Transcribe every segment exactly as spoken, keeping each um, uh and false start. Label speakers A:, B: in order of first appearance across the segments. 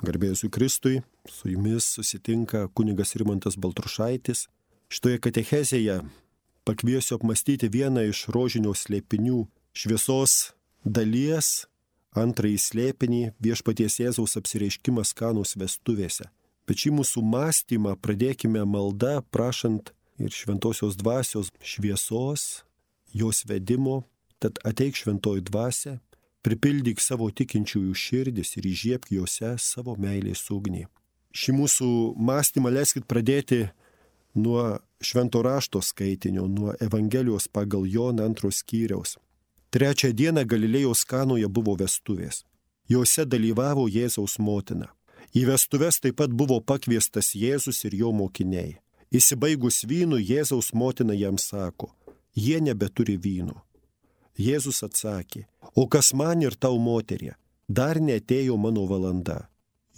A: Garbė Jėzui Kristui, su jumis susitinka kunigas Rimantas Baltrušaitis. Šitoje katechezėje pakviesiu apmastyti vieną iš rožinio slėpinių šviesos dalies, antrąjį slėpinį viešpaties Jėzaus apsireiškimas Kanos vestuvėse. Bet šį mūsų mąstymą pradėkime malda, prašant ir šventosios dvasios šviesos, jos vedimo, tad ateik šventoji dvasia, pripildyk savo tikinčiųjų širdis ir įžiebk juose savo meilės ugnį. Šį mūsų mąstymą leiskit pradėti nuo švento rašto skaitinio, nuo Evangelijos pagal Joną antros skyriaus. Trečią dieną Galilėjos Kanoje buvo vestuvės. Jose dalyvavo Jėzaus motina. Į vestuves taip pat buvo pakviestas Jėzus ir jo mokiniai. Įsibaigus vynų, Jėzaus motina jam sako, jie nebeturi vyno. Jėzus atsakė, o kas man ir tau moterie, dar neatėjo mano valanda.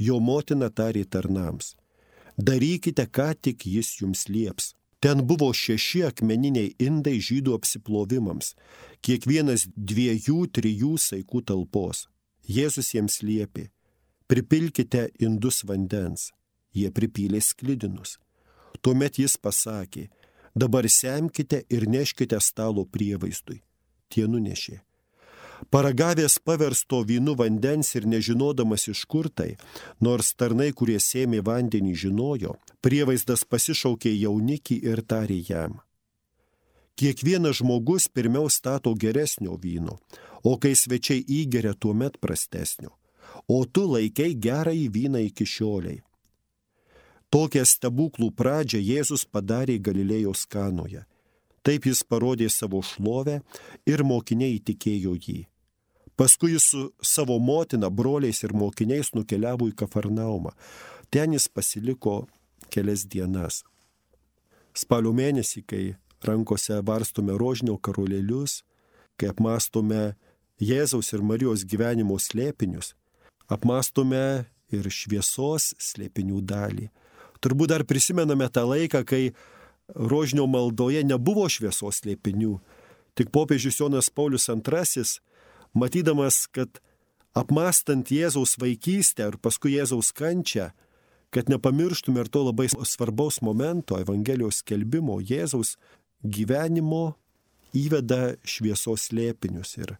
A: Jo motina tarė tarnams, darykite, ką tik jis jums lieps. Ten buvo šeši akmeniniai indai žydų apsiplovimams, kiekvienas dviejų, trijų saikų talpos. Jėzus jiems liepė, pripilkite indus vandens. Jie pripylė sklidinus. Tuomet jis pasakė, dabar semkite ir neškite stalo prievaizdui. Tie nunešė. Paragavęs paversto vynu vandens ir nežinodamas iš kur tai, nors tarnai, kurie sėmė vandenį, žinojo, prievaizdas pasišaukė jaunikį ir tarė jam. Kiekvienas žmogus pirmiau stato geresnio vyno, o kai svečiai įgeria, tuomet prastesnio. O tu laikei gerąjį vyną iki šioliai. Tokią stebuklų pradžią Jėzus padarė Galilėjos Kanoje. Taip jis parodė savo šlovę ir mokiniai įtikėjo jį. Paskui jis su savo motina, broliais ir mokiniais nukeliavo į Kafarnaumą. Ten jis pasiliko kelias dienas. Spalio mėnesį, kai rankose varstome rožinio karolėlius, kai apmastome Jėzaus ir Marijos gyvenimo slėpinius, apmastome ir šviesos slėpinių dalį. Turbūt dar prisimename tą laiką, kai rožinio maldoje nebuvo šviesos slėpinių. Tik popiežius Jonas Paulius antrasis, matydamas, kad apmastant Jėzaus vaikystę ir paskui Jėzaus kančią, kad nepamirštume ir to labai svarbaus momento Evangelijos skelbimo, Jėzaus gyvenimo įveda šviesos slėpinius. Ir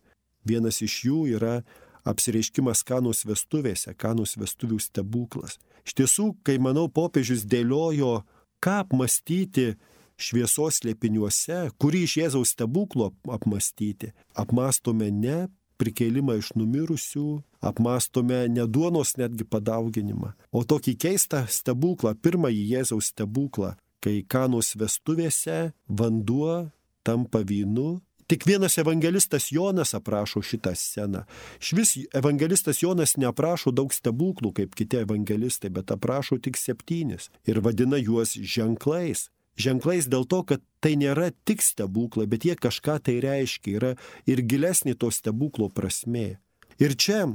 A: vienas iš jų yra apsireiškimas Kanos vestuvėse, Kanos vestuvių stebuklas. Iš tiesų, kai, manau, popiežius dėliojo, ką apmastyti šviesos slėpiniuose, kurį iš Jėzaus stebuklo apmastyti. Apmastome ne prikėlimą iš numirusių, apmastome ne duonos netgi padauginimą, o tokį keistą stebuklą, pirmąjį Jėzaus stebuklą, kai Kanos vestuvėse vanduo tampa vynu. Tik vienas evangelistas Jonas aprašo šitą sceną. Švis evangelistas Jonas neaprašo daug stebuklų kaip kiti evangelistai, bet aprašo tik septynis ir vadina juos ženklais. Ženklais dėl to, kad tai nėra tik stebuklai, bet jie kažką tai reiškia, yra ir gilesnė to stebuklo prasmė. Ir čia,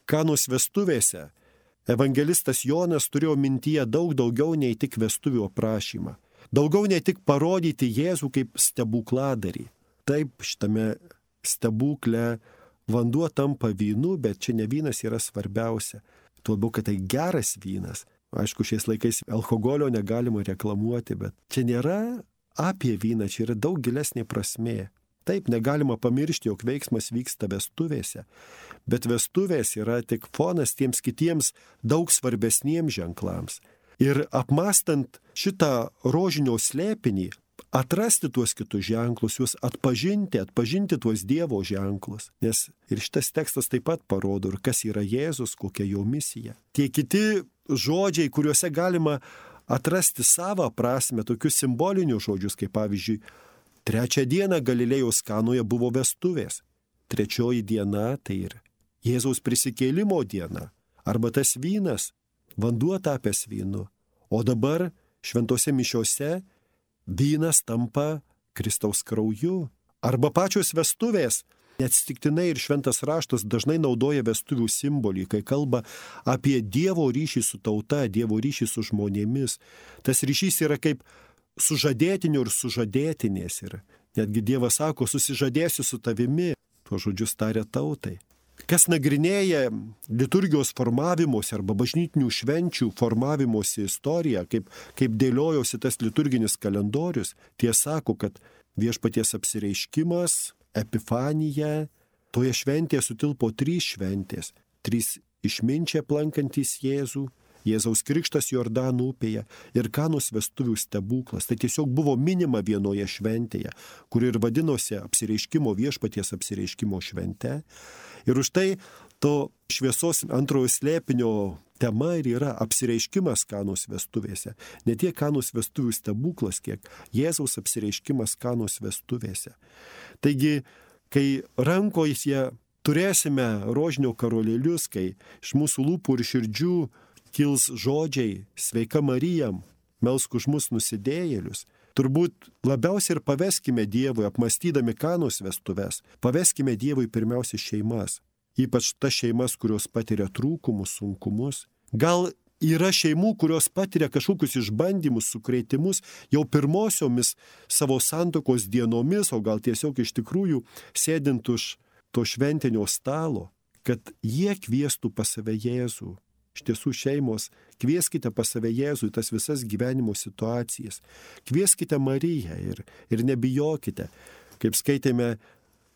A: Kanos vestuvėse, evangelistas Jonas turėjo mintyje daug daugiau nei tik vestuvių aprašymą. Daugiau nei tik parodyti Jėzų kaip stebukladarį. Taip, šitame stebukle vanduo tampa vynu, bet čia ne vynas yra svarbiausia. Tuo labiau, kad tai geras vynas. Aišku, šiais laikais alkoholio negalima reklamuoti, bet čia nėra apie vyną, čia yra daug gilesnė prasmė. Taip, negalima pamiršti, jog veiksmas vyksta vestuvėse, bet vestuvės yra tik fonas tiems kitiems daug svarbesniems ženklams. Ir apmastant šitą rožinio slėpinį, atrasti tuos kitus ženklus, juos atpažinti, atpažinti tuos Dievo ženklus. Nes ir šitas tekstas taip pat parodo, ir kas yra Jėzus, kokia jo misija. Tie kiti žodžiai, kuriuose galima atrasti savo prasme, tokius simbolinius žodžius, kaip pavyzdžiui, trečią dieną Galilėjos Kanoje buvo vestuvės. Trečioji diena tai ir Jėzaus prisikėlimo diena. Arba tas vynas, vanduo tapęs vynu. O dabar šventose mišiose vynas tampa Kristaus krauju. Arba pačios vestuvės. Neatsitiktinai ir šventas raštas dažnai naudoja vestuvių simbolį, kai kalba apie Dievo ryšį su tauta, Dievo ryšį su žmonėmis. Tas ryšys yra kaip sužadėtinių ir sužadėtinės. Ir netgi Dievas sako, susižadėsiu su tavimi. Tuo žodžius taria tautai. kas nagrinėja liturgijos formavimosi arba bažnytinių švenčių formavimosi istoriją, kaip, kaip dėliojosi tas liturginis kalendorius, tie sako, kad viešpaties apsireiškimas, epifanija, toje šventėje sutilpo trys šventės. Trys išminčiai aplankantys Jėzų, Jėzaus krikštas Jordano upėje ir Kanos vestuvių stebuklas. Tai tiesiog buvo minima vienoje šventėje, kuri ir vadinosi apsireiškimo viešpaties apsireiškimo švente. Ir už tai to šviesos antrojo slėpinio tema ir yra apsireiškimas Kanos vestuvėse. Ne tiek Kanos vestuvių stebuklas, kiek Jėzaus apsireiškimas Kanos vestuvėse. Taigi, kai rankoje turėsime rožinio karolėlius, kai iš mūsų lūpų ir širdžių kils žodžiai sveika Marija, melsk už mus nusidėjėlius, turbūt labiausiai ir paveskime Dievui, apmastydami Kanos vestuves, paveskime Dievui pirmiausia šeimas, ypač tas šeimas, kurios patiria trūkumus, sunkumus. Gal yra šeimų, kurios patiria kažkokius išbandymus, sukrėtimus jau pirmosiomis savo santuokos dienomis, o gal tiesiog iš tikrųjų sėdint už to šventinio stalo, kad jie kviestų pas save Jėzų. Iš tiesų šeimos, kvieskite pas save Jėzų į tas visas gyvenimo situacijas. Kvieskite Mariją ir, ir nebijokite. Kaip skaitėme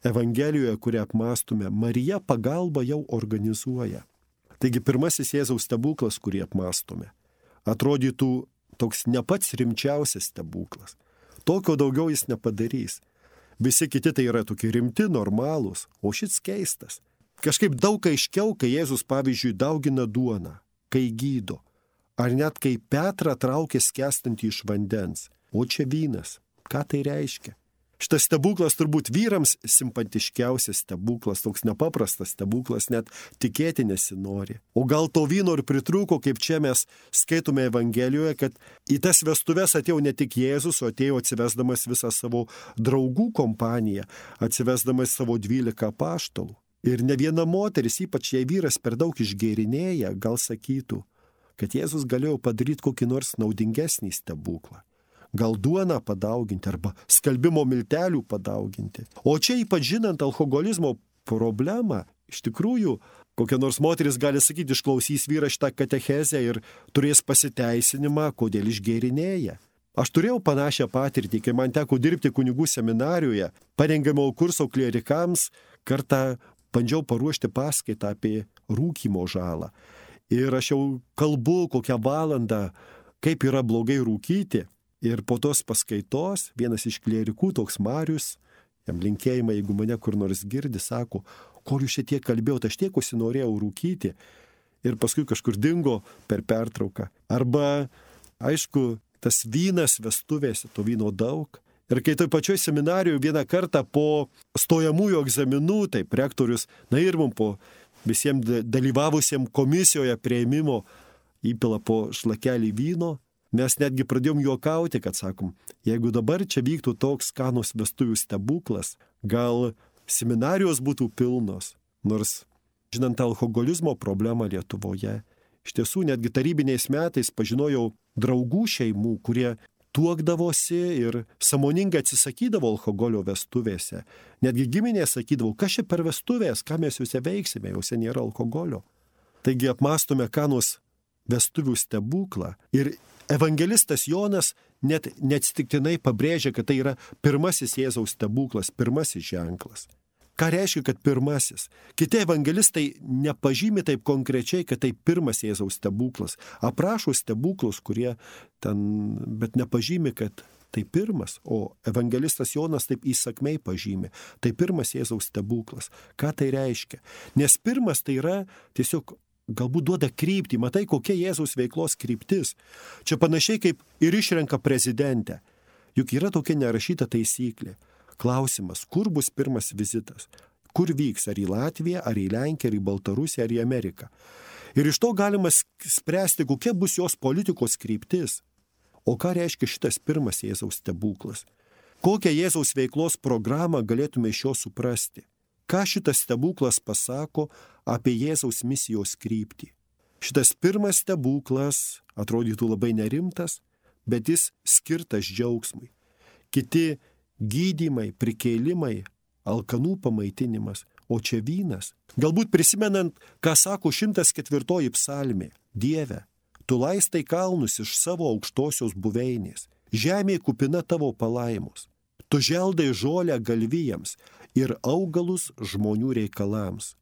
A: Evangelijoje, kurią apmąstume, Marija pagalbą jau organizuoja. Taigi pirmasis Jėzaus stebuklas, kurį apmąstume, atrodytų toks ne pats rimčiausias stebuklas. Tokio daugiau jis nepadarys. Visi kiti tai yra tokie rimti, normalūs, o šis keistas. Kažkaip daug aiškiau, kai Jėzus, pavyzdžiui, daugina duoną, kai gydo, ar net kai Petrą traukia skęstantį iš vandens. O čia vynas. Ką tai reiškia? Šitas stebuklas turbūt vyrams simpatiškiausias stebuklas, toks nepaprastas stebuklas, net tikėti nesinori. O gal to vyno ir pritrūko, kaip čia mes skaitome Evangelijoje, kad į tas vestuves atėjo ne tik Jėzus, o atėjo atsivesdamas visą savo draugų kompaniją, atsivesdamas savo dvylika apaštalų. Ir ne viena moteris, ypač jei vyras per daug išgėrinėja, gal sakytų, kad Jėzus galėjo padaryti kokį nors naudingesnį stebuklą. Gal duoną padauginti arba skalbimo miltelių padauginti. O čia ypač žinant alkoholizmo problemą, iš tikrųjų, kokia nors moteris gali sakyti, išklausys vyrą šitą katechezę ir turės pasiteisinimą, kodėl išgėrinėja. Aš turėjau panašią patirtį, kai man teko dirbti kunigų seminarijoje, parengiamo kurso klierikams, kartą bandžiau paruošti paskaitą apie rūkymo žalą. Ir aš jau kalbu kokią valandą, kaip yra blogai rūkyti. Ir po tos paskaitos vienas iš klierikų, toks Marius, jam linkėjimą, jeigu mane kur nors girdi, sako, ko jūs šiek tiek kalbėjot, aš tiek užsinorėjau rūkyti. Ir paskui kažkur dingo per pertrauką. Arba, aišku, tas vynas vestuvėse, to vyno daug. Ir kai toj pačioj seminarijoje vieną kartą po stojamųjų egzaminų, taip rektorius, na ir mums po visiems dalyvavusiems komisijoje prieimimo įpila po šlakelį vyno, mes netgi pradėjom juokauti, kad sakom, jeigu dabar čia vyktų toks Kanos vestuvių stebuklas, gal seminarijos būtų pilnos, nors žinant alkoholizmo problemą Lietuvoje, iš tiesų netgi tarybiniais metais pažinojau draugų šeimų, kurie tuokdavosi ir sąmoningai atsisakydavo alkoholio vestuvėse. Netgi giminės sakydavo, kas čia per vestuvės, ką mes juose veiksime, juose nėra alkoholio. Taigi apmąstome Kanos vestuvių stebuklą ir evangelistas Jonas net neatsitiktinai pabrėžia, kad tai yra pirmasis Jėzaus stebuklas, pirmasis ženklas. Ką reiškia, kad pirmasis? Kiti evangelistai nepažymi taip konkrečiai, kad tai pirmas Jėzaus stebuklas. Aprašo stebuklus, kurie ten, bet nepažymi, kad tai pirmas, o evangelistas Jonas taip įsakmei pažymi. Tai pirmas Jėzaus stebuklas. Ką tai reiškia? Nes pirmas tai yra tiesiog galbūt duoda kryptį, matai, kokia Jėzaus veiklos kryptis. Čia panašiai kaip ir išrenka prezidentę. Juk yra tokia nerašyta taisyklė. Klausimas, kur bus pirmas vizitas? Kur vyks? Ar į Latviją, ar į Lenkiją, ar į Baltarusiją, ar į Ameriką? Ir iš to galima spręsti, kokia bus jos politikos kryptis. O ką reiškia šitas pirmas Jėzaus stebuklas? Kokią Jėzaus veiklos programą galėtume iš jo suprasti? Ką šitas stebuklas pasako apie Jėzaus misijos kryptį? Šitas pirmas stebuklas atrodytų labai nerimtas, bet jis skirtas džiaugsmui. Kiti gydymai, prikėlimai, alkanų pamaitinimas, o čia vynas. Galbūt prisimenant, ką sako šimtas ketvirtoji psalmė. Dieve, tu laistai kalnus iš savo aukštosios buveinės. Žemė kupina tavo palaimos. Tu želdai žolę galvijams ir augalus žmonių reikalams.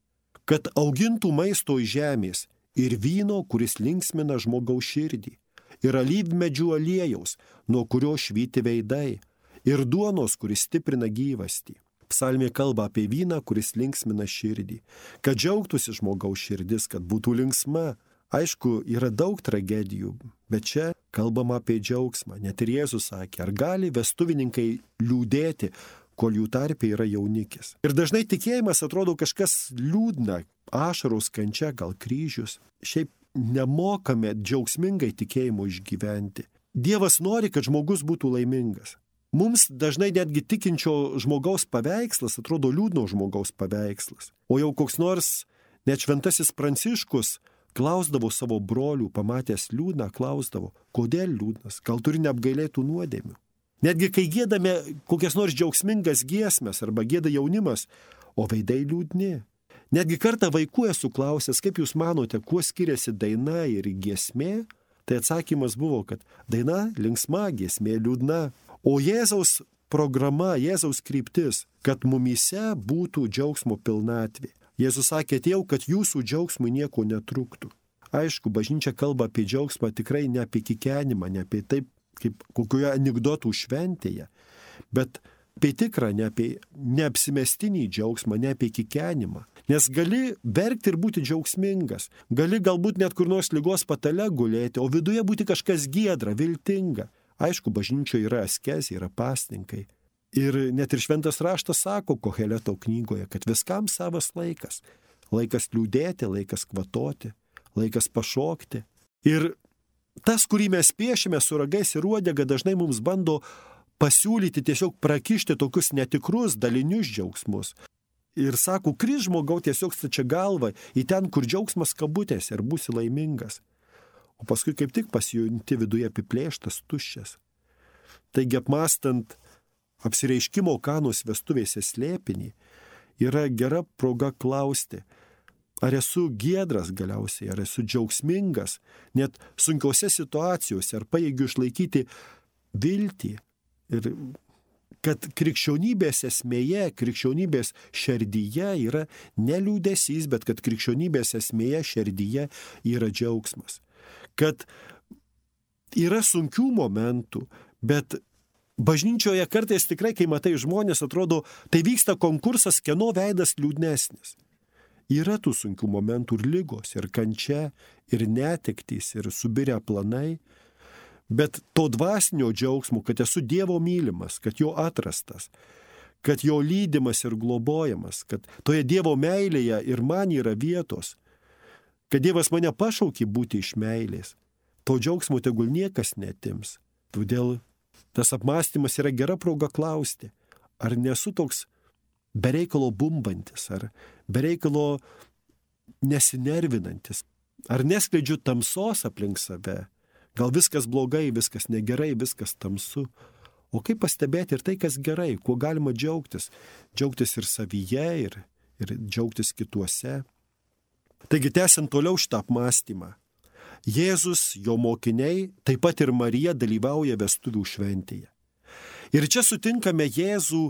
A: Kad augintų maisto iš žemės ir vyno, kuris linksmina žmogaus širdį. Ir alyvmedžių aliejaus, nuo kurio švyti veidai. Ir duonos, kuris stiprina gyvastį. Psalmė kalba apie vyną, kuris linksmina širdį. Kad džiaugtųsi žmogaus širdis, kad būtų linksma. Aišku, yra daug tragedijų, bet čia kalbama apie džiaugsmą. Net ir Jėzus sakė, ar gali vestuvininkai liūdėti, kol jų tarpe yra jaunikis. Ir dažnai tikėjimas atrodo kažkas liūdna, ašaros, kančia, gal kryžius. Šiaip nemokame džiaugsmingai tikėjimo išgyventi. Dievas nori, kad žmogus būtų laimingas. Mums dažnai netgi tikinčio žmogaus paveikslas atrodo liūdno žmogaus paveikslas. O jau koks nors net šventasis Pranciškus klausdavo savo brolių, pamatęs liūdną, klausdavo, kodėl liūdnas, gal turi neapgailėtų nuodėmių. Netgi kai giedame kokias nors džiaugsmingas giesmes arba gieda jaunimas, o veidai liūdni. Netgi kartą vaikų esu klausęs, kaip jūs manote, kuo skiriasi daina ir giesmė, tai atsakymas buvo, kad daina linksma, giesmė liūdna. O Jėzaus programa, Jėzaus kryptis, kad mumyse būtų džiaugsmo pilnatvė. Jėzus sakė, atėjau, kad jūsų džiaugsmui nieko netrūktų. Aišku, bažnyčia kalba apie džiaugsmą tikrai ne apie kikenimą, ne apie taip, kaip kokioje anekdotų šventėje, bet apie tikrą, ne apie neapsimestinį džiaugsmą, ne apie kikenimą. Nes gali verkti ir būti džiaugsmingas, gali galbūt net kur nors ligos patale gulėti, o viduje būti kažkas giedra, viltinga. Aišku, bažnyčioje yra askezė, yra pasninkai. Ir net ir šventas raštas sako Koheleto knygoje, kad viskam savas laikas. Laikas liūdėti, laikas kvatoti, laikas pašokti. Ir tas, kurį mes piešime su ragais ir uodega, dažnai mums bando pasiūlyti tiesiog prakišti tokius netikrus dalinius džiaugsmus. Ir sako, kris žmogau tiesiog stačia galva į ten, kur džiaugsmas kabutėse ir būsi laimingas. O paskui kaip tik pasijunti viduje apiplėštas, tuščias. Taigi apmastant apsireiškimo Kanos vestuvėse slėpinį, yra gera proga klausti, ar esu giedras galiausiai, ar esu džiaugsmingas, net sunkiose situacijose, ar pajėgiu išlaikyti viltį. Ir kad krikščionybės esmėje, krikščionybės šerdyje yra ne liūdesys, bet kad krikščionybės esmėje šerdyje yra džiaugsmas. Kad yra sunkių momentų, bet bažnyčioje kartais tikrai, kai matai žmonės, atrodo, tai vyksta konkursas, kieno veidas liūdnesnis. Yra tų sunkių momentų ir lygos, ir kančia, ir netektys, ir subirę planai, bet to dvasinio džiaugsmo, kad esu Dievo mylimas, kad jo atrastas, kad jo lydimas ir globojamas, kad toje Dievo meilėje ir man yra vietos, kad Dievas mane pašaukė būti iš meilės. To džiaugsmo tegul niekas netims. Todėl tas apmąstymas yra gera proga klausti, ar nesu toks bereikalo bumbantis, ar bereikalo nesinervinantis, ar neskleidžiu tamsos aplink save. Gal viskas blogai, viskas negerai, viskas tamsu. O kaip pastebėti ir tai, kas gerai, kuo galima džiaugtis. Džiaugtis ir savyje, ir, ir džiaugtis kituose. Taigi, tęsiant toliau šitą apmąstymą, Jėzus, jo mokiniai, taip pat ir Marija dalyvauja vestuvių šventėje. Ir čia sutinkame Jėzų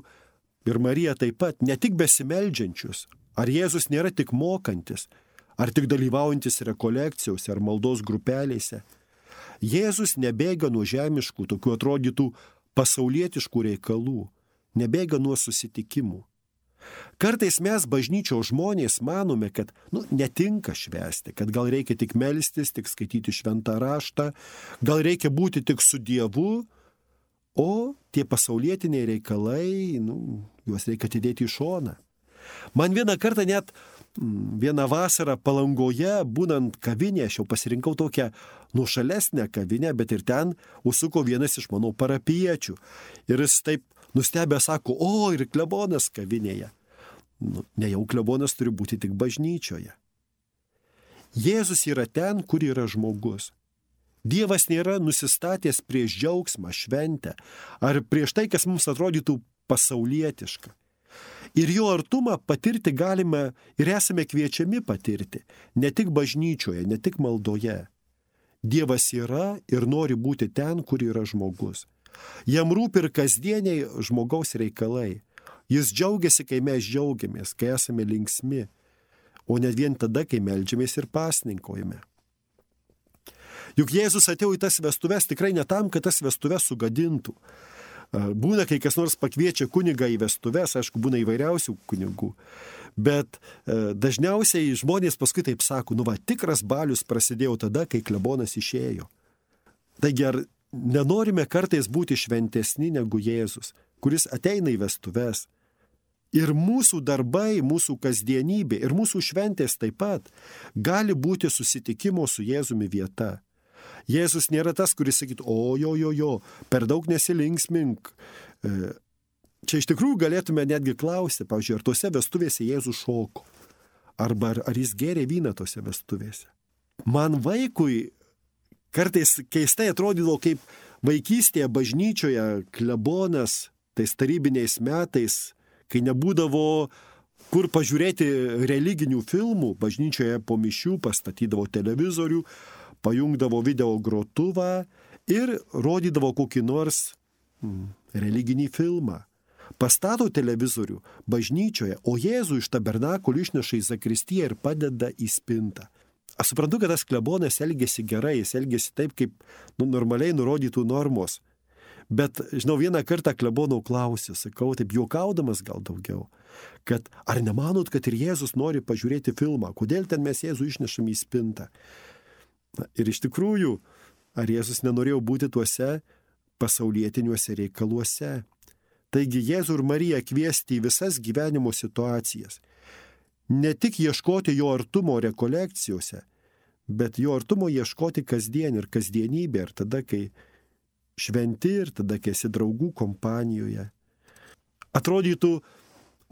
A: ir Mariją taip pat, ne tik besimeldžiančius, ar Jėzus nėra tik mokantis, ar tik dalyvaujantis rekolekcijose ar maldos grupelėse. Jėzus nebėga nuo žemiškų, tokių atrodytų pasaulietiškų reikalų, nebėga nuo susitikimų. Kartais mes bažnyčios žmonės manome, kad nu, netinka švęsti, kad gal reikia tik melstis, tik skaityti šventą raštą, gal reikia būti tik su Dievu, o tie pasaulietiniai reikalai, nu, juos reikia atidėti į šoną. Man vieną kartą net vieną vasarą Palangoje, būnant kavinėje, aš jau pasirinkau tokią nuošalesnę kavinę, bet ir ten užsuko vienas iš mano parapiečių. Ir jis taip nustebę sako, o ir klebonas kavinėje. Nu, ne jau klebonas turi būti tik bažnyčioje. Jėzus yra ten, kur yra žmogus. Dievas nėra nusistatęs prieš džiaugsmą, šventę, ar prieš tai, kas mums atrodytų pasaulietiška. Ir jo artumą patirti galime ir esame kviečiami patirti, ne tik bažnyčioje, ne tik maldoje. Dievas yra ir nori būti ten, kur yra žmogus. Jam rūpi ir kasdieniai žmogaus reikalai. Jis džiaugiasi, kai mes džiaugiamės, kai esame linksmi, o ne vien tada, kai meldžiamės ir pasninkojame. Juk Jėzus atėjo į tas vestuves tikrai ne tam, kad tas vestuves sugadintų. Būna, kai kas nors pakviečia kunigą į vestuves, aišku, būna įvairiausių kunigų, bet dažniausiai žmonės paskui taip sako, nu va, tikras balius prasidėjo tada, kai klebonas išėjo. Taigi ar nenorime kartais būti šventesni negu Jėzus, kuris ateina į vestuves? Ir mūsų darbai, mūsų kasdienybė ir mūsų šventės taip pat gali būti susitikimo su Jėzumi vieta. Jėzus nėra tas, kuris sakytų, o jo, jo, jo, per daug nesilinksmink. Čia iš tikrųjų galėtume netgi klausti, pavyzdžiui, ar tose vestuvėse Jėzus šoko, arba ar, ar jis gėrė vyną tose vestuvėse. Man vaikui kartais keistai atrodydavo, kaip vaikystėje bažnyčioje klebonas tais tarybiniais metais, kai nebūdavo kur pažiūrėti religinių filmų, bažnyčioje po mišių pastatydavo televizorių, pajungdavo video grotuvą ir rodydavo kokį nors mm, religinį filmą. Pastato televizorių bažnyčioje, o Jėzų iš tabernakulio išneša į zakristiją ir padeda į spintą. Aš suprantu, kad tas klebonas elgėsi gerai, jis elgėsi taip, kaip nu, normaliai nurodytų normos. Bet, žinau, vieną kartą klebonau klausiu, sakau, taip juokaudamas gal daugiau, kad ar nemanot, kad ir Jėzus nori pažiūrėti filmą, kodėl ten mes Jėzų išnešam į spintą? Na, ir iš tikrųjų, ar Jėzus nenorėjo būti tuose pasaulietiniuose reikaluose? Taigi Jėzų ir Mariją kviesti į visas gyvenimo situacijas. Ne tik ieškoti jo artumo rekolekcijose, bet jo artumo ieškoti kasdien ir kasdienybė, ir tada, kai šventi, ir tada, kai esi draugų kompanijoje. Atrodytų,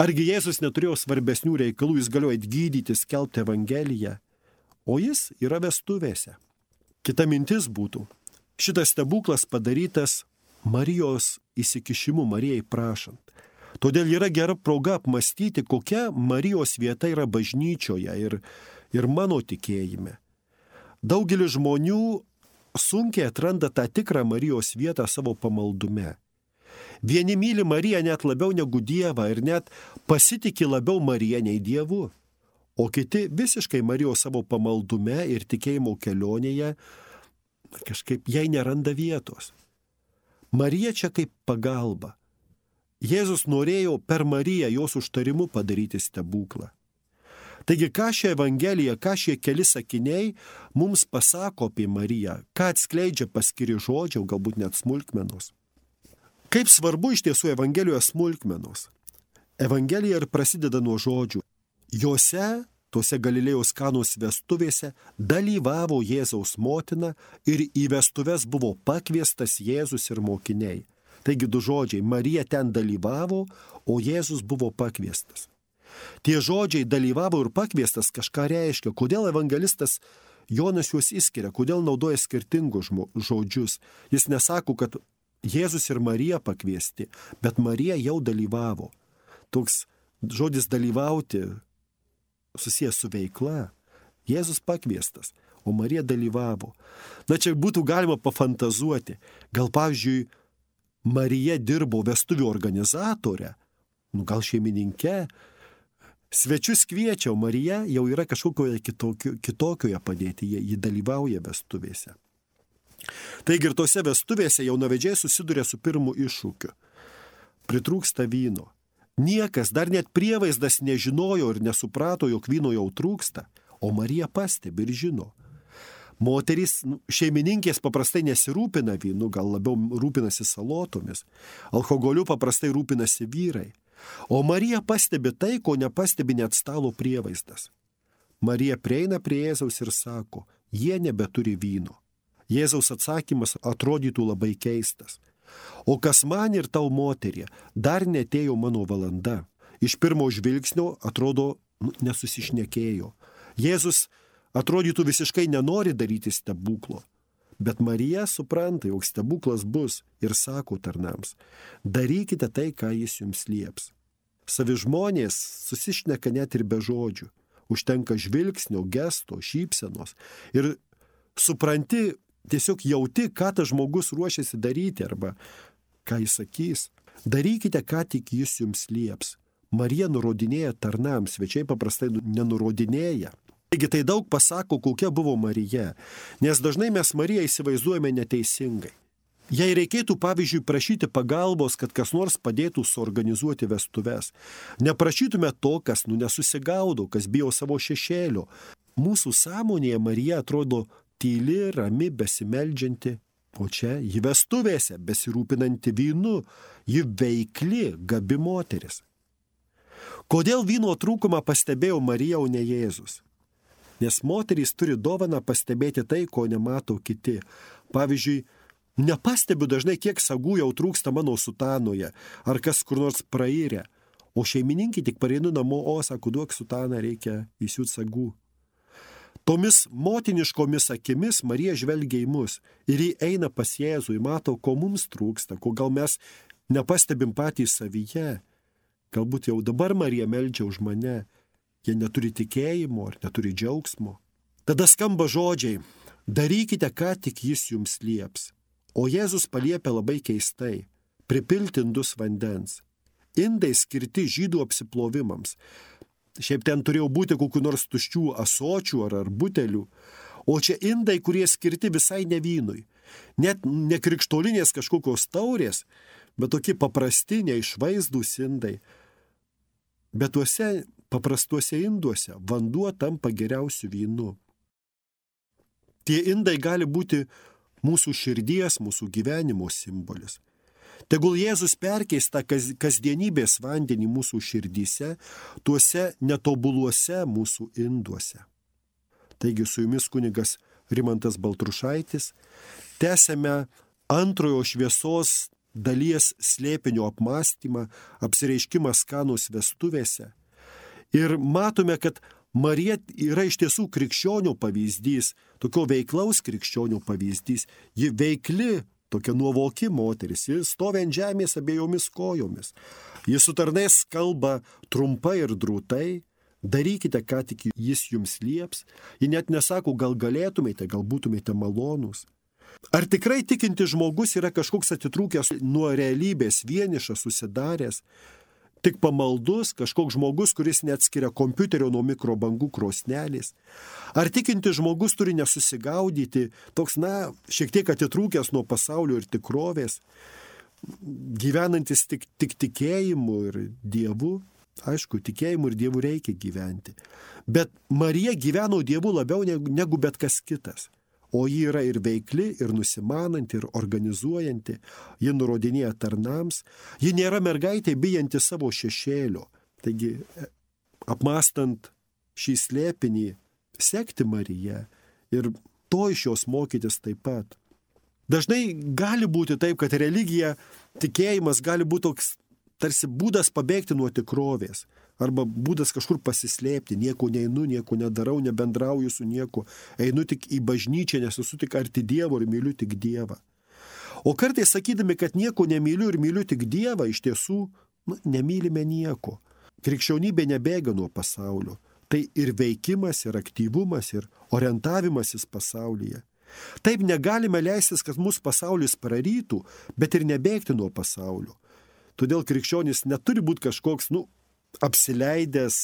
A: argi Jėzus neturėjo svarbesnių reikalų, jis galėjo atgydyti, skelbti Evangeliją, o jis yra vestuvėse. Kita mintis būtų, šitas stebuklas padarytas Marijos įsikišimu, Marijai prašant. Todėl yra gera proga apmastyti, kokia Marijos vieta yra bažnyčioje ir, ir mano tikėjime. Daugelis žmonių sunkiai atranda tą tikrą Marijos vietą savo pamaldume. Vieni myli Mariją net labiau negu Dievą ir net pasitiki labiau Mariją nei Dievu, o kiti visiškai Marijos savo pamaldume ir tikėjimo kelionėje kažkaip jai neranda vietos. Marija čia kaip pagalba. Jėzus norėjo per Mariją jos užtarimu padaryti stebuklą. Taigi, ką šia Evangelija, ką šie keli sakiniai mums pasako apie Mariją, ką atskleidžia paskiri žodžiai, galbūt net smulkmenos. Kaip svarbu iš tiesų Evangelijoje smulkmenos. Evangelija ir prasideda nuo žodžių. Jose, tose Galilėjos Kanos vestuvėse, dalyvavo Jėzaus motina ir į vestuves buvo pakviestas Jėzus ir mokiniai. Taigi du žodžiai, Marija ten dalyvavo, o Jėzus buvo pakviestas. Tie žodžiai dalyvavo ir pakviestas kažką reiškia. Kodėl evangelistas Jonas juos išskiria, kodėl naudoja skirtingus žodžius. Jis nesako, kad Jėzus ir Marija pakviesti, bet Marija jau dalyvavo. Toks žodis dalyvauti susijęs su veikla. Jėzus pakviestas, o Marija dalyvavo. Na, čia būtų galima pafantazuoti. Gal, pavyzdžiui, Marija dirbo vestuvių organizatorę, nu gal šeimininke, svečius kviečia, o Marija jau yra kažkokioje kitokio, kitokioje padėtyje, ji dalyvauja vestuvėse. Taigi ir tose vestuvėse jaunavedžiai susiduria su pirmu iššūkiu. Pritrūksta vyno. Niekas, dar net prievaizdas nežinojo ir nesuprato, jog vyno jau trūksta, o Marija pastebi ir žino. Moterys, šeimininkės paprastai nesirūpina vynu, gal labiau rūpinasi salotomis. Alkoholiu paprastai rūpinasi vyrai. O Marija pastebi tai, ko nepastebi net stalo prievaizdas. Marija prieina prie Jėzaus ir sako, jie nebeturi vyno. Jėzaus atsakymas atrodytų labai keistas. O kas man ir tau, moterie, dar netėjo mano valanda. Iš pirmo žvilgsnio atrodo nu, nesusišnekėjo. Jėzus atrodytų visiškai nenori daryti stebuklo. Bet Marija supranta, jog stebuklas bus ir sako tarnams, darykite tai, ką jis jums lieps. savi žmonės susišneka net ir be žodžių. Užtenka žvilgsnio, gesto, šypsenos. Ir supranti, tiesiog jauti, ką tas žmogus ruošiasi daryti arba ką jis sakys. Darykite, ką tik jis jums lieps. Marija nurodinėja tarnams, svečiai paprastai nenurodinėja. Taigi tai daug pasako, kokia buvo Marija, nes dažnai mes Mariją įsivaizduojame neteisingai. Jei reikėtų, pavyzdžiui, prašyti pagalbos, kad kas nors padėtų suorganizuoti vestuves, neprašytume to, kas nu nesusigaudo, kas bijo savo šešėlio. Mūsų sąmonėje Marija atrodo tyli, rami, besimeldžianti, o čia ji vestuvėse, besirūpinanti vynu, ji veikli, gabi moteris. Kodėl vyno trūkumą pastebėjo Marija, o ne Jėzus? Nes moterys turi dovaną pastebėti tai, ko nemato kiti. Pavyzdžiui, nepastebiu dažnai, kiek sagų jau trūksta mano sutanoje, ar kas kur nors prairė. O šeimininkai tik pareinu namo, o sako, duok sutaną, reikia įsiūt sagų. Tomis motiniškomis akimis Marija žvelgia į mus ir ji eina pas Jėzų, mato, ko mums trūksta, ko gal mes nepastebim patys savyje. Galbūt jau dabar Marija meldžia už mane. Jie neturi tikėjimo ar neturi džiaugsmo. Tada skamba žodžiai, darykite, ką tik jis jums lieps. O Jėzus paliepia labai keistai, pripilti indus vandens. Indai skirti žydų apsiplovimams. Šiaip ten turėjo būti kokių nors tuščių ąsočių ar, ar butelių. O čia indai, kurie skirti visai ne vynui. Net ne krikštolinės kažkokios taurės, bet tokie paprasti, neišvaizdūs indai. Bet tuose paprastuose induose vanduo tampa geriausiu vynu. Tie indai gali būti mūsų širdies, mūsų gyvenimo simbolis. Tegul Jėzus perkeis tą kasdienybės vandenį mūsų širdyse, tuose netobuluose mūsų induose. Taigi su jumis kunigas Rimantas Baltrušaitis. Tęsiame antrojo šviesos dalies slėpinio apmąstymą, apsireiškimas Kanos vestuvėse. Ir matome, kad Marija yra iš tiesų krikščionių pavyzdys, tokio veiklaus krikščionių pavyzdys. Ji veikli, tokia nuovoki moteris, ji stovi ant žemės abiejomis kojomis. Ji su tarnais kalba trumpai ir drūtai, darykite, ką tik jis jums lieps. Ji net nesako, gal galėtumėte, gal būtumėte malonūs. Ar tikrai tikinti žmogus yra kažkoks atitrūkęs nuo realybės, vienišas, susidaręs, tik pamaldus, kažkoks žmogus, kuris neatskiria kompiuterio nuo mikrobangų krosnelės? Ar tikinti žmogus turi nesusigaudyti, toks, na, šiek tiek atitrūkęs nuo pasaulio ir tikrovės, gyvenantis tik, tik tikėjimu ir Dievu? Aišku, tikėjimu ir Dievu reikia gyventi. Bet Marija gyveno Dievu labiau negu bet kas kitas. O ji yra ir veikli, ir nusimananti, ir organizuojanti. Ji nurodinėja tarnams. Ji nėra mergaitė bijanti savo šešėlio. Taigi, apmąstant šį slėpinį, sekti Mariją ir to iš jos mokytis taip pat. Dažnai gali būti taip, kad religija, tikėjimas gali būti toks tarsi būdas pabėgti nuo tikrovės. Arba būdas kažkur pasislėpti, nieko neinu, nieko nedarau, nebendrauju su nieko, einu tik į bažnyčią, nes esu tik arti Dievo ir myliu tik Dievą. O kartais sakydami, kad nieko nemyliu ir myliu tik Dievą, iš tiesų nu, nemylime nieko. Krikščionybė nebėga nuo pasaulio. Tai ir veikimas, ir aktyvumas, ir orientavimasis pasaulyje. Taip negalime leistis, kad mūsų pasaulis prarytų, bet ir nebėgti nuo pasaulio. Todėl krikščionis neturi būti kažkoks, nu, apsileidęs,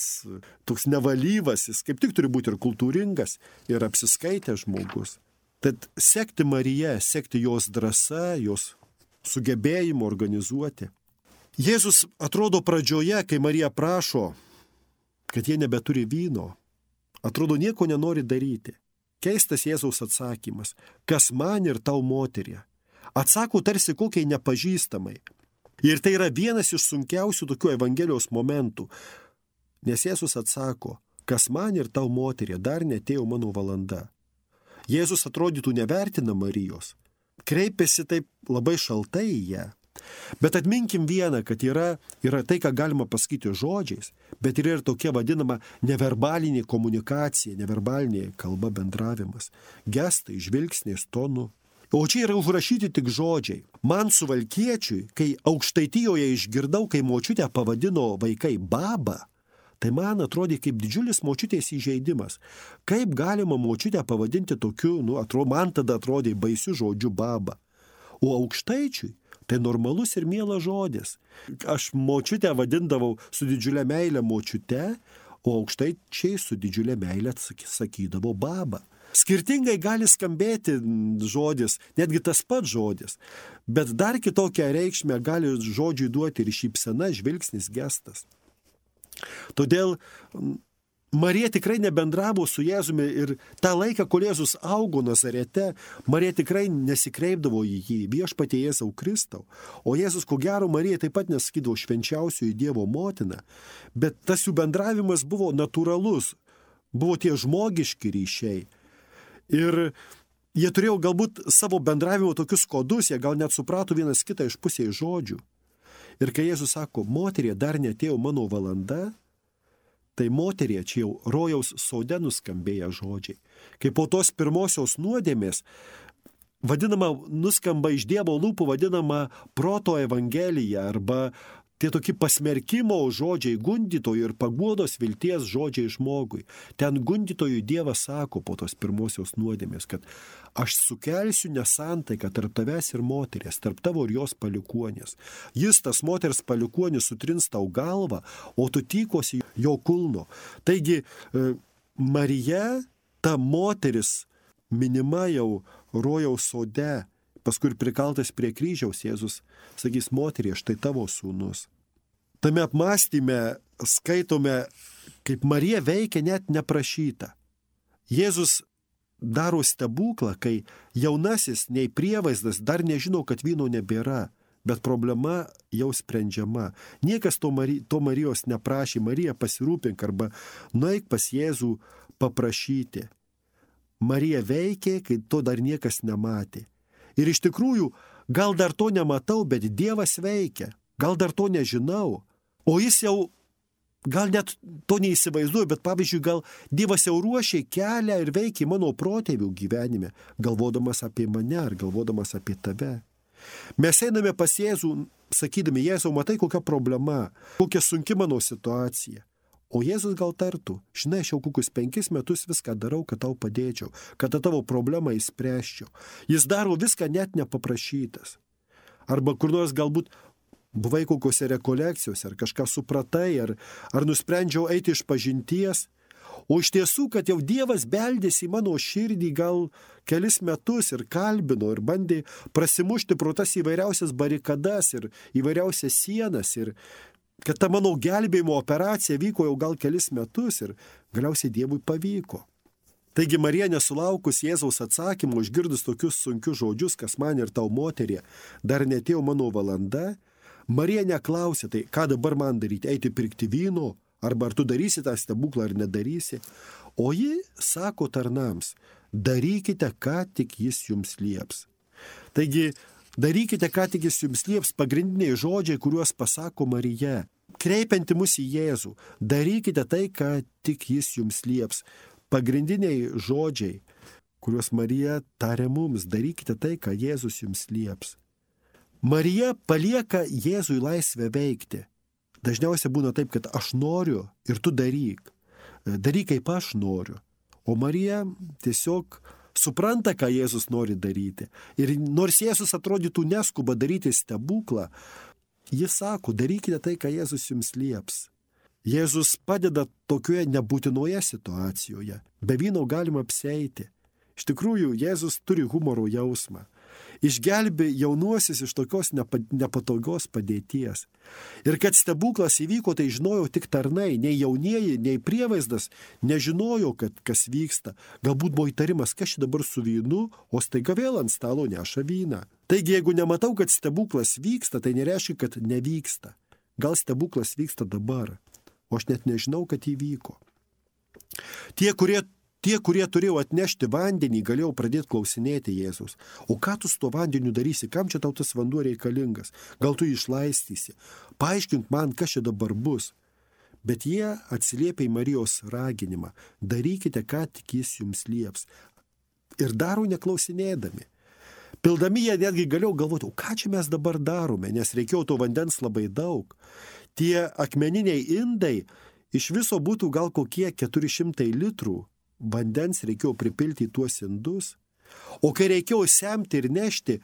A: toks nevalyvas, jis kaip tik turi būti ir kultūringas, ir apsiskaitęs žmogus. Tad sekti Mariją, sekti jos drąsa, jos sugebėjimu organizuoti. Jėzus atrodo pradžioje, kai Marija prašo, kad jie nebeturi vyno, atrodo nieko nenori daryti. Keistas Jėzaus atsakymas, kas man ir tau moterie. Atsako tarsi kokiai nepažįstamai. Ir tai yra vienas iš sunkiausių tokių Evangelijos momentų. Nes Jėzus atsako, kas man ir tau moterie, dar netėjo mano valanda. Jėzus atrodytų nevertina Marijos. Kreipiasi taip labai šaltai į ją. Bet atminkim vieną, kad yra, yra tai, ką galima pasakyti žodžiais, bet yra ir tokia vadinama neverbalinė komunikacija, neverbalinė kalba bendravimas. Gestai, žvilgsniais, tonu. O čia yra užrašyti tik žodžiai. Man Suvalkiečiui, kai Aukštaitijoje išgirdau, kai močiutę pavadino vaikai baba, tai man atrodė kaip didžiulis močiutės įžeidimas. Kaip galima močiutę pavadinti tokiu, nu, atrodo, man tada atrodė baisiu žodžiu baba. O Aukštaičiui tai normalus ir mielas žodis. Aš močiutę vadindavau su didžiulė meilė močiute, o Aukštaičiai su didžiulė meilė sakydavo baba. Skirtingai gali skambėti žodis, netgi tas pats žodis, bet dar kitokią reikšmę gali žodžiui duoti ir šypsena, žvilgsnis, gestas. Todėl Marija tikrai nebendravo su Jėzumi ir tą laiką, kol Jėzus augo Nazarete, Marija tikrai nesikreipdavo į jį, viešpatie Jėzau Kristau. O Jėzus, ko gero, Marija taip pat nesakydavo švenčiausioji Dievo motina, bet tas jų bendravimas buvo natūralus, buvo tie žmogiški ryšiai. Ir jie turėjo galbūt savo bendravimo tokius kodus, jie gal net suprato vienas kitą iš pusės žodžių. Ir kai Jėzus sako, moterie, dar netėjo mano valanda, tai moterie, čia jau rojaus sode nuskambėję žodžiai. Kai po tos pirmosios nuodėmės, vadinama, nuskamba iš Dievo lūpų, vadinama proto evangelija arba tie tokie pasmerkimo žodžiai, gundytojų ir paguodos vilties žodžiai žmogui. Ten gundytojų Dievas sako po tos pirmosios nuodėmės, kad aš sukelsiu nesantaiką tarp tavęs ir moterės, tarp tavo ir jos palikuonės. Jis, tas moters palikuonis, sutrins tau galvą, o tu tykosi jo kulno. Taigi, Marija, ta moteris, minima jau rojaus sode, paskui ir prikaltas prie kryžiaus, Jėzus sakys, moterie, štai tavo sūnus. Tame apmąstyme skaitome, kaip Marija veikia net neprašyta. Jėzus daro stebuklą, kai jaunasis nei prievaizdas dar nežino, kad vyno nebėra, bet problema jau sprendžiama. Niekas to, Mari, to Marijos neprašė, Marija pasirūpink arba nueik pas Jėzų paprašyti. Marija veikė, kai to dar niekas nematė. Ir iš tikrųjų, gal dar to nematau, bet Dievas veikia. Gal dar to nežinau. O jis jau, gal net to neįsivaizduoju, bet pavyzdžiui, gal Dievas jau ruošia kelią ir veikia mano protėvių gyvenime, galvodamas apie mane ar galvodamas apie tave. Mes einame pas Jėzų, sakydami, Jėzau, matai, kokia problema, kokia sunki mano situacija. O Jėzus gal tartų, žinai, aš jau kokius penkis metus viską darau, kad tau padėčiau, kad tą tavo problemą įspręsčiau. Jis daro viską net nepaprašytas. Arba kur nors galbūt buvai kokiose rekolekcijose, ar kažką supratai, ar, ar nusprendžiau eiti iš pažinties. O iš tiesų, kad jau Dievas beldėsi į mano širdį gal kelis metus ir kalbino, ir bandė prasimušti pro tas įvairiausias barikadas ir įvairiausias sienas, ir kad ta mano gelbėjimo operacija vyko jau gal kelis metus ir galiausiai Dievui pavyko. Taigi Marija nesulaukus Jėzaus atsakymo, išgirdus tokius sunkius žodžius, kas man ir tau moterie, dar netėjo mano valanda, Marija neklausė, tai ką dabar man daryti, eiti pirkti vyno, arba ar tu darysi tą stebuklą ar nedarysi. O ji sako tarnams, darykite, ką tik jis jums lieps. Taigi, darykite, ką tik jis jums lieps, pagrindiniai žodžiai, kuriuos pasako Marija, kreipianti mus į Jėzų. Darykite tai, ką tik jis jums lieps. Pagrindiniai žodžiai, kuriuos Marija tarė mums, darykite tai, ką Jėzus jums lieps. Marija palieka Jėzui laisvę veikti. Dažniausiai būna taip, kad aš noriu ir tu daryk. Daryk, kaip aš noriu. O Marija tiesiog supranta, ką Jėzus nori daryti. Ir nors Jėzus atrodytų neskuba daryti stebuklą, jis sako, darykite tai, ką Jėzus jums lieps. Jėzus padeda tokioje nebūtinoje situacijoje. Be vyno galima apsieiti. Iš tikrųjų, Jėzus turi humoro jausmą. Išgelbė jaunuosius iš tokios nepatogios padėties. Ir kad stebuklas įvyko, tai žinojo tik tarnai, nei jaunieji, nei prievaizdas nežinojo, kad kas vyksta. Galbūt buvo įtarimas, kas čia dabar su vynu, o staiga vėl ant stalo neša vyną. Taigi, jeigu nematau, kad stebuklas vyksta, tai nereiškia, kad nevyksta. Gal stebuklas vyksta dabar, o aš net nežinau, kad įvyko. Tie, kurie Tie, kurie turėjo atnešti vandenį, galėjau pradėti klausinėti Jėzaus. O ką tu su tuo vandeniu darysi? Kam čia tau tas vanduo reikalingas? Gal tu jį išlaistysi? Paaiškink man, kas čia dabar bus. Bet jie atsiliepia į Marijos raginimą. Darykite, ką tik jis jums lieps. Ir daro neklausinėdami. Pildami jie netgi galėjau galvoti, o ką čia mes dabar darome, nes reikėjo to vandens labai daug. Tie akmeniniai indai iš viso būtų gal kokie keturi šimtai litrų vandens reikėjo pripilti į tuos indus. O kai reikėjo semti ir nešti,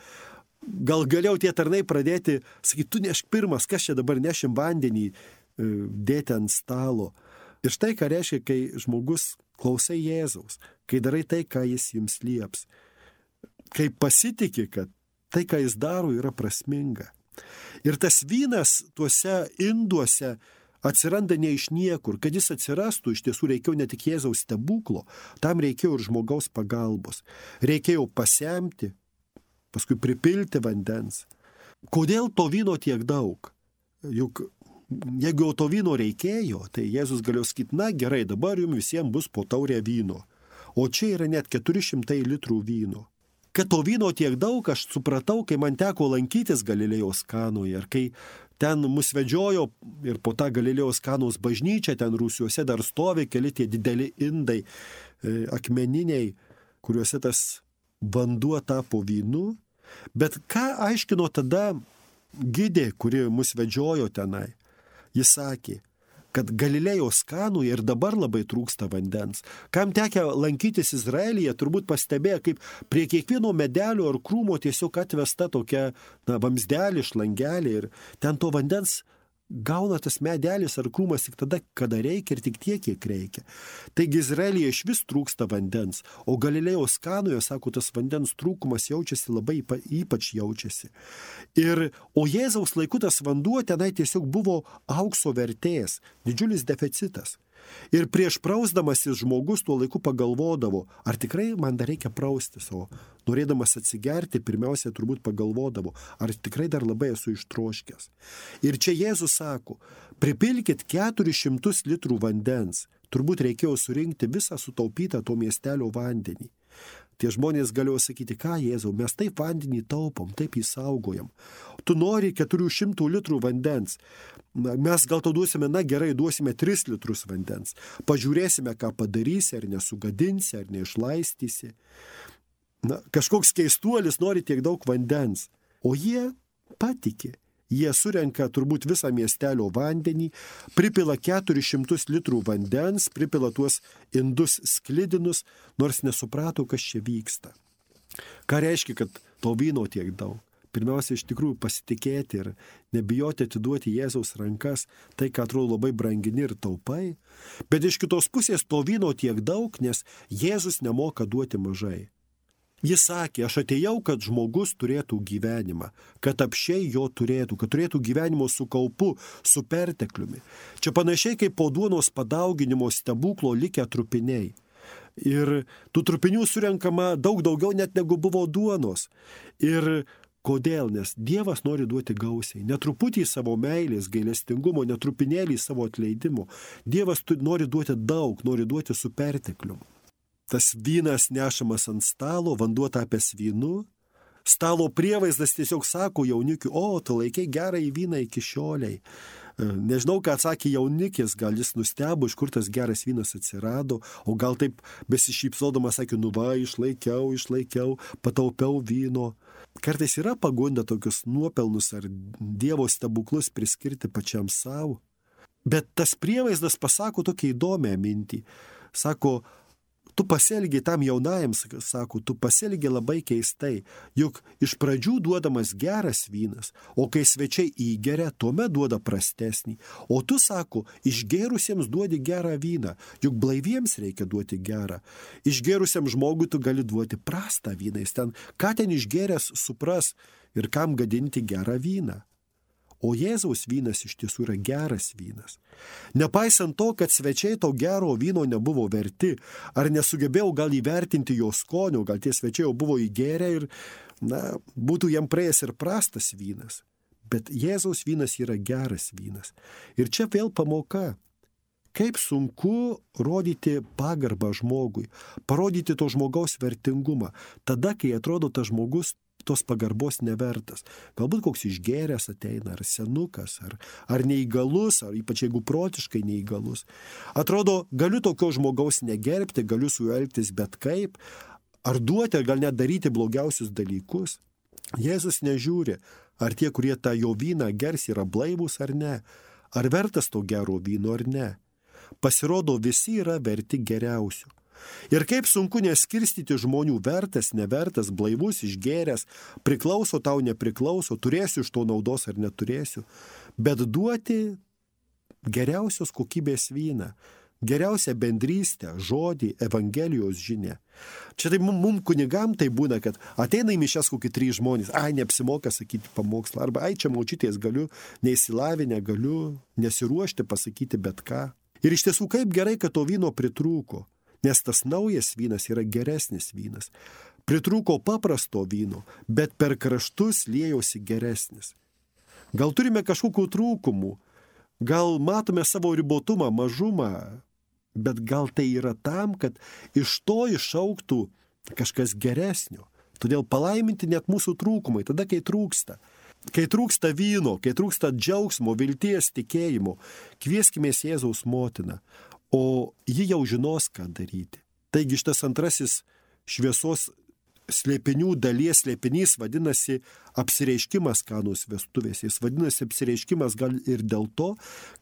A: gal galėjau tie tarnai pradėti, sakyti, tu nešk pirmas, kas čia dabar nešim vandenį, dėti ant stalo. Ir štai ką reiškia, kai žmogus klausai Jėzaus, kai darai tai, ką jis jums lieps. Kai pasitiki, kad tai, ką jis daro, yra prasminga. Ir tas vynas tuose induose atsiranda ne iš niekur. Kad jis atsirastų, iš tiesų reikėjo ne tik Jėzaus stebuklo, tam reikėjo ir žmogaus pagalbos. Reikėjo pasemti, paskui pripilti vandens. Kodėl to vyno tiek daug? Juk jeigu jau to vyno reikėjo, tai Jėzus galėjo sakyti, na gerai, dabar jums visiems bus po taurę vyno. O čia yra net keturi šimtai litrų vyno. Kad to vyno tiek daug, aš supratau, kai man teko lankytis Galilėjos Kanoje, ir kai ten mus vedžiojo ir po tą Galilėjos Kanos bažnyčią, ten rūsiuose dar stovi keli tie dideli indai, e, akmeniniai, kuriuose tas vanduo tapo vynu. Bet ką aiškino tada gidė, kuri mus vedžiojo tenai? Jis sakė, kad Galilėjos Kanoje ir dabar labai trūksta vandens. Kam tekę lankytis Izraelyje, turbūt pastebėjo, kaip prie kiekvieno medelio ar krūmo tiesiog atvesta tokia na, vamsdelė, šlangelė ir ten to vandens gauna tas medelis ar krūmas tik tada, kada reikia ir tik tiek, kiek reikia. Taigi Izraelyje iš vis trūksta vandens, o Galilėjos Kanoje, sako, tas vandens trūkumas jaučiasi labai, ypač jaučiasi. Ir, o Jėzaus laiku tas vanduo tenai tiesiog buvo aukso vertės, didžiulis deficitas. Ir prieš prausdamasis žmogus tuo laiku pagalvodavo, ar tikrai man dar reikia praustis, o norėdamas atsigerti, pirmiausia turbūt pagalvodavo, ar tikrai dar labai esu ištroškęs. Ir čia Jėzus sako, pripilkit keturis šimtus litrų vandens, turbūt reikėjo surinkti visą sutaupytą to miestelio vandenį. Tie žmonės galėjo sakyti, ką Jėzau, mes taip vandenį taupom, taip jį saugojam. Tu nori keturių šimtų litrų vandens. Mes gal to duosime, na gerai, duosime tris litrus vandens. Pažiūrėsime, ką padarysi, ar nesugadinsi, ar neišlaistysi. Na, kažkoks keistuolis nori tiek daug vandens. O jie patikė. Jie surenka turbūt visą miestelio vandenį, pripila keturis šimtus litrų vandens, pripila tuos indus sklidinus, nors nesuprato, kas čia vyksta. Ką reiškia, kad to vyno tiek daug? Pirmiausia, iš tikrųjų pasitikėti ir nebijoti atiduoti Jėzaus rankas, tai, ką atrodo labai brangini ir taupai. Bet iš kitos pusės to vyno tiek daug, nes Jėzus nemoka duoti mažai. Jis sakė, aš atėjau, kad žmogus turėtų gyvenimą, kad apšiai jo turėtų, kad turėtų gyvenimo su kaupu, su pertekliumi. Čia panašiai kaip po duonos padauginimo stebuklo likę trupiniai. Ir tų trupinių surenkama daug daugiau net negu buvo duonos. Ir kodėl? Nes Dievas nori duoti gausiai. Netruputį savo meilės, gailestingumo, netrupinėlį savo atleidimo. Dievas nori duoti daug, nori duoti su pertekliumi. Tas vynas nešamas ant stalo, vanduo tapęs vynu. Stalo prievaizdas tiesiog sako jaunikiu, o, tu laikai gerą į vyną iki šioliai. Nežinau, ką atsakė jaunikis, gal jis nustebo, iš kur tas geras vynas atsirado, o gal taip besišypsodamas sakė, nu va, išlaikiau, išlaikiau, pataupiau vyno. Kartais yra pagunda tokius nuopelnus ar Dievo stebuklus priskirti pačiam savo. Bet tas prievaizdas pasako tokią įdomią mintį. Sako, tu pasielgi tam jaunajam, sako, tu pasielgi labai keistai, juk iš pradžių duodamas geras vynas, o kai svečiai įgeria, tuomet duoda prastesnį. O tu, sako, išgėrusiems duodi gerą vyną, juk blaiviems reikia duoti gerą. Išgėrusiam žmogui tu gali duoti prastą vyną, jis ten, ką ten išgėręs supras ir kam gadinti gerą vyną. O Jėzaus vynas iš tiesų yra geras vynas. Nepaisant to, kad svečiai to gero vyno nebuvo verti, ar nesugebėjau gal įvertinti jo skonio, gal tie svečiai jau buvo įgėrę ir, na, būtų jam praėjęs ir prastas vynas. Bet Jėzaus vynas yra geras vynas. Ir čia vėl pamoka. Kaip sunku rodyti pagarbą žmogui, parodyti to žmogaus vertingumą, tada, kai atrodo tas žmogus tos pagarbos nevertas. Galbūt koks išgėręs ateina, ar senukas, ar, ar neįgalus, ar ypač jeigu protiškai neįgalus. Atrodo, galiu tokio žmogaus negerbti, galiu su juo elgtis bet kaip, ar duoti, ar gal net daryti blogiausius dalykus. Jėzus nežiūri, ar tie, kurie tą jo vyną gers, yra blaivūs ar ne, ar vertas to gero vyno ar ne. Pasirodo, visi yra verti geriausių. Ir kaip sunku neskirstyti žmonių vertas, nevertas, blaivus, išgėręs, priklauso tau, nepriklauso, turėsiu iš to naudos ar neturėsiu, bet duoti geriausios kokybės vyną, geriausią bendrystę, žodį, Evangelijos žinią. Čia tai mum, mum kunigam tai būna, kad ateina į mišias kokį trys žmonės, ai, neapsimoka sakyti pamokslą, arba ai, čia močiutės galiu, neįsilavinę galiu, nesiruošti pasakyti bet ką. Ir iš tiesų kaip gerai, kad to vyno pritrūko, nes tas naujas vynas yra geresnis vynas. Pritrūko paprasto vyno, bet per kraštus liejosi geresnis. Gal turime kažkokių trūkumų, gal matome savo ribotumą, mažumą, bet gal tai yra tam, kad iš to išauktų kažkas geresnio. Todėl palaiminti net mūsų trūkumai, tada kai trūksta. Kai trūksta vyno, kai trūksta džiaugsmo, vilties, tikėjimo, kvieskimės Jėzaus motiną, o ji jau žinos, ką daryti. Taigi šitas antrasis šviesos slėpinių dalies slėpinys vadinasi apsireiškimas Kanos vestuvėse. Jis vadinasi apsireiškimas gal ir dėl to,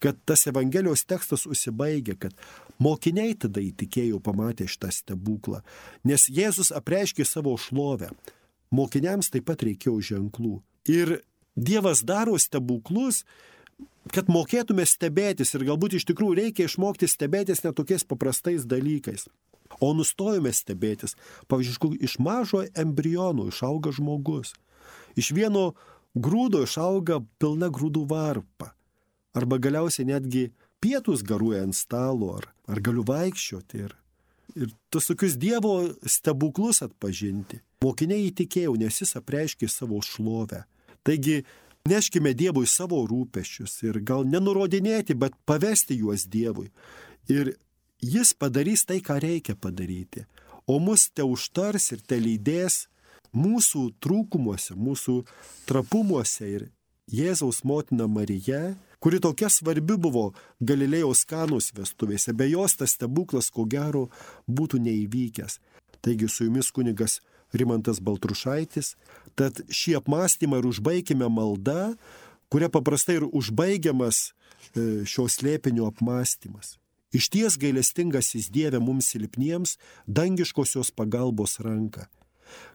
A: kad tas Evangelijos tekstas užsibaigia, kad mokiniai tada įtikėjo pamatę šitą stebuklą, nes Jėzus apreiškė savo šlovę. Mokiniams taip pat reikėjo ženklų. Ir Dievas daro stebuklus, kad mokėtume stebėtis ir galbūt iš tikrųjų reikia išmokti stebėtis ne tokiais paprastais dalykais. O nustojome stebėtis. Pavyzdžiui, iš mažo embrionų išauga žmogus. Iš vieno grūdo išauga pilna grūdų varpa. Arba galiausiai netgi pietus garuoja ant stalo, ar, ar galiu vaikščioti. Ir, ir tos tokius Dievo stebuklus atpažinti. Mokiniai įtikėjo, nes jis apreiškė savo šlovę. Taigi, neškime Dievui savo rūpesčius ir gal nenurodinėti, bet pavesti juos Dievui. Ir jis padarys tai, ką reikia padaryti. O mus te užtars ir te lydės mūsų trūkumuose, mūsų trapumuose. Ir Jėzaus motina Marija, kuri tokia svarbi buvo Galilėjos Kanos vestuvėse, be jos tas stebuklas, ko gero, būtų neįvykęs. Taigi su jumis kunigas Rimantas Baltrušaitis, tad šį apmąstymą ir užbaikime maldą, kuria paprastai ir užbaigiamas šio slėpinio apmąstymas. Išties gailestingasis Dieve mums silpniems dangiškosios pagalbos ranką,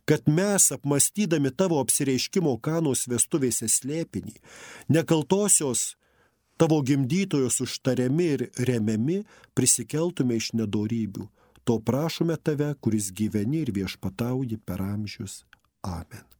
A: kad mes apmąstydami tavo apsireiškimo Kanos vestuvėse slėpinį, nekaltosios tavo gimdytojos užtariami ir remiami prisikeltume iš nedorybių. To prašome tave, kuris gyveni ir viešpatauji per amžius. Amen.